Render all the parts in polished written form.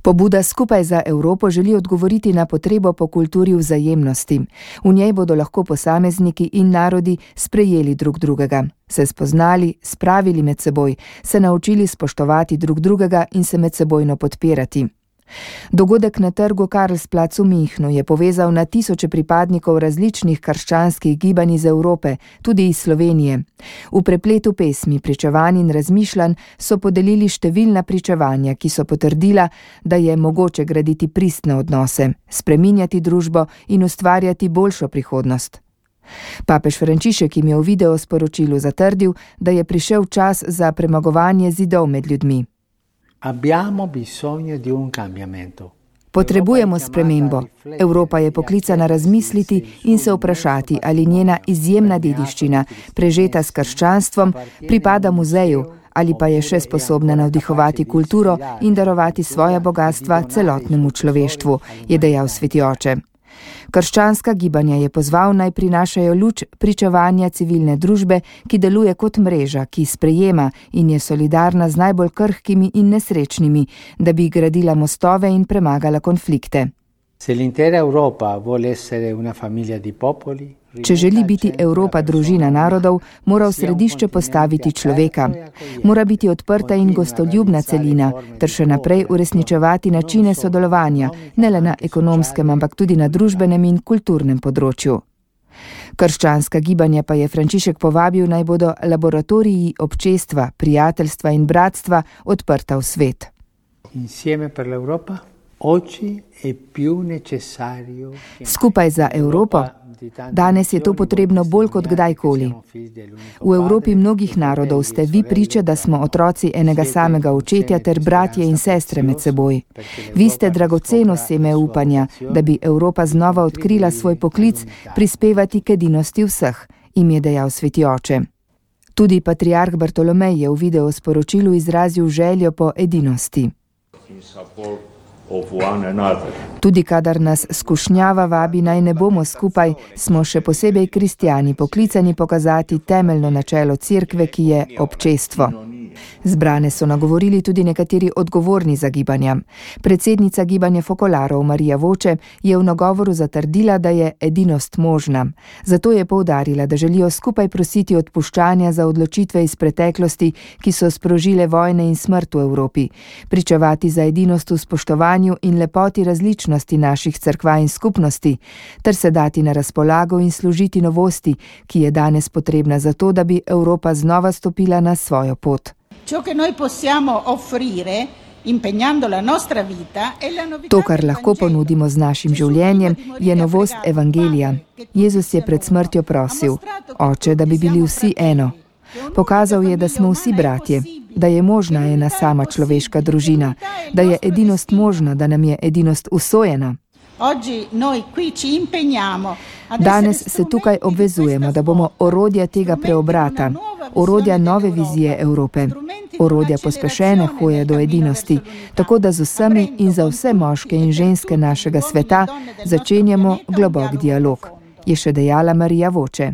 Pobuda Skupaj za Evropo želi odgovoriti na potrebo po kulturi vzajemnosti. V njej bodo lahko posamezniki in narodi sprejeli drug drugega, se spoznali, spravili med seboj, se naučili spoštovati drug drugega in se medsebojno podpirati. Dogodek na trgu Karlsplatz v Münchnu je povezal na tisoče pripadnikov različnih krščanskih gibanj iz Evrope, tudi iz Slovenije. V prepletu pesmi, pričevanj in razmišljanj so podelili številna pričevanja, ki so potrdila, da je mogoče graditi pristne odnose, spreminjati družbo in ustvarjati boljšo prihodnost. Papež Frančišek jim je v videosporočilu zatrdil, da je prišel čas za premagovanje zidov med ljudmi. Potrebujemo spremembo. Evropa je poklicana razmisliti in se vprašati, ali njena izjemna dediščina, prežeta s krščanstvom, pripada muzeju, ali pa je še sposobna navdihovati kulturo in darovati svoja bogatstva celotnemu človeštvu, je dejal sveti oče. Krščanska gibanja je pozval, naj prinašajo luč pričevanja civilne družbe, ki deluje kot mreža, ki sprejema in je solidarna z najbolj krhkimi in nesrečnimi, da bi gradila mostove in premagala konflikte. Če želi biti Evropa družina narodov, mora v središče postaviti človeka. Mora biti odprta in gostoljubna celina, ter še naprej uresničevati načine sodelovanja, ne le na ekonomskem, ampak tudi na družbenem in kulturnem področju. Krščanska gibanja pa je Frančišek povabil, naj bodo laboratoriji občestva, prijateljstva in bratstva odprta v svet. Skupaj za Evropo. Danes je to potrebno bolj kot kdajkoli. V Evropi mnogih narodov ste vi priče, da smo otroci enega samega očetja ter bratje in sestre med seboj. Vi ste dragoceno seme upanja, da bi Evropa znova odkrila svoj poklic prispevati k edinosti vseh, jim je dejal sveti oče. Tudi patriarh Bartolomej je v videosporočilu izrazil željo po edinosti. Tudi kadar nas skušnjava vabi, naj ne bomo skupaj, smo še posebej kristjani poklicani pokazati temeljno načelo cerkve, ki je občestvo. Zbrane so nagovorili tudi nekateri odgovorni za gibanja. Predsednica gibanja Fokolarov Marija Voče je v nagovoru zatrdila, da je edinost možna. Zato je poudarila, da želijo skupaj prositi odpuščanja za odločitve iz preteklosti, ki so sprožile vojne in smrt v Evropi, pričevati za edinost v spoštovanju in lepoti različnosti naših cerkva in skupnosti, ter se dati na razpolago in služiti novosti, ki je danes potrebna za to, da bi Evropa znova stopila na svojo pot. To, kar lahko ponudimo z našim življenjem, je novost evangelija. Jezus je pred smrtjo prosil, Oče, da bi bili vsi eno. Pokazal je, da smo vsi bratje, da je možna ena sama človeška družina, da je edinost možna, da nam je edinost usojena. Danes se tukaj obvezujemo, da bomo orodja tega preobrata, orodja nove vizije Evrope, orodja pospešene hoje do edinosti, tako da z vsemi in za vse moške in ženske našega sveta začenjamo globok dialog, je še dejala Marija Voče.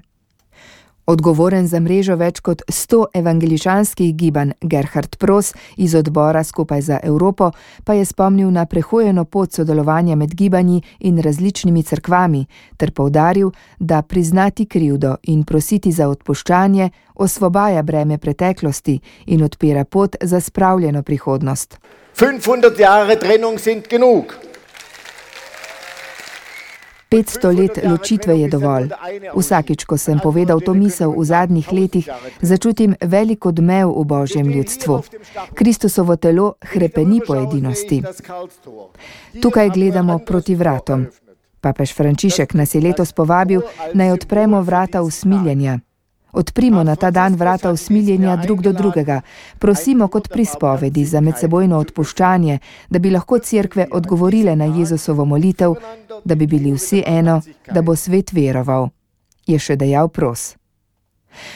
Odgovoren za mrežo več kot 100 evangeličanskih gibanj Gerhard Pros iz odbora Skupaj za Evropo pa je spomnil na prehojeno pot sodelovanja med gibanji in različnimi cerkvami ter poudaril, da priznati krivdo in prositi za odpuščanje osvobaja breme preteklosti in odpira pot za spravljeno prihodnost. 500 Jahre Trennung sind genug. 500 let ločitve je dovolj. Vsakič, ko sem povedal to misel v zadnjih letih, začutim velik odmev v Božjem ljudstvu. Kristusovo telo hrepeni po edinosti. Tukaj gledamo proti vratom. Papež Frančišek nas je letos povabil, naj odpremo vrata usmiljenja. Odprimo na ta dan vrata usmiljenja drug do drugega, prosimo kot pri spovedi za medsebojno odpuščanje, da bi lahko cerkve odgovorile na Jezusovo molitev, da bi bili vsi eno, da bo svet veroval, je še dejal Pros.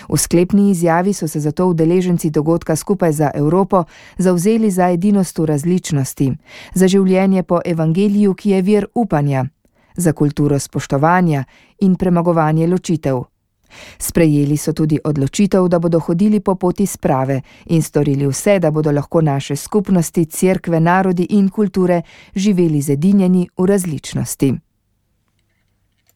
V sklepni izjavi so se zato udeleženci dogodka Skupaj za Evropo zavzeli za edinost v različnosti, za življenje po evangeliju, ki je vir upanja, za kulturo spoštovanja in premagovanje ločitev. Sprejeli so tudi odločitev, da bodo hodili po poti sprave in storili vse, da bodo lahko naše skupnosti, cerkve, narodi in kulture živeli zedinjeni v različnosti.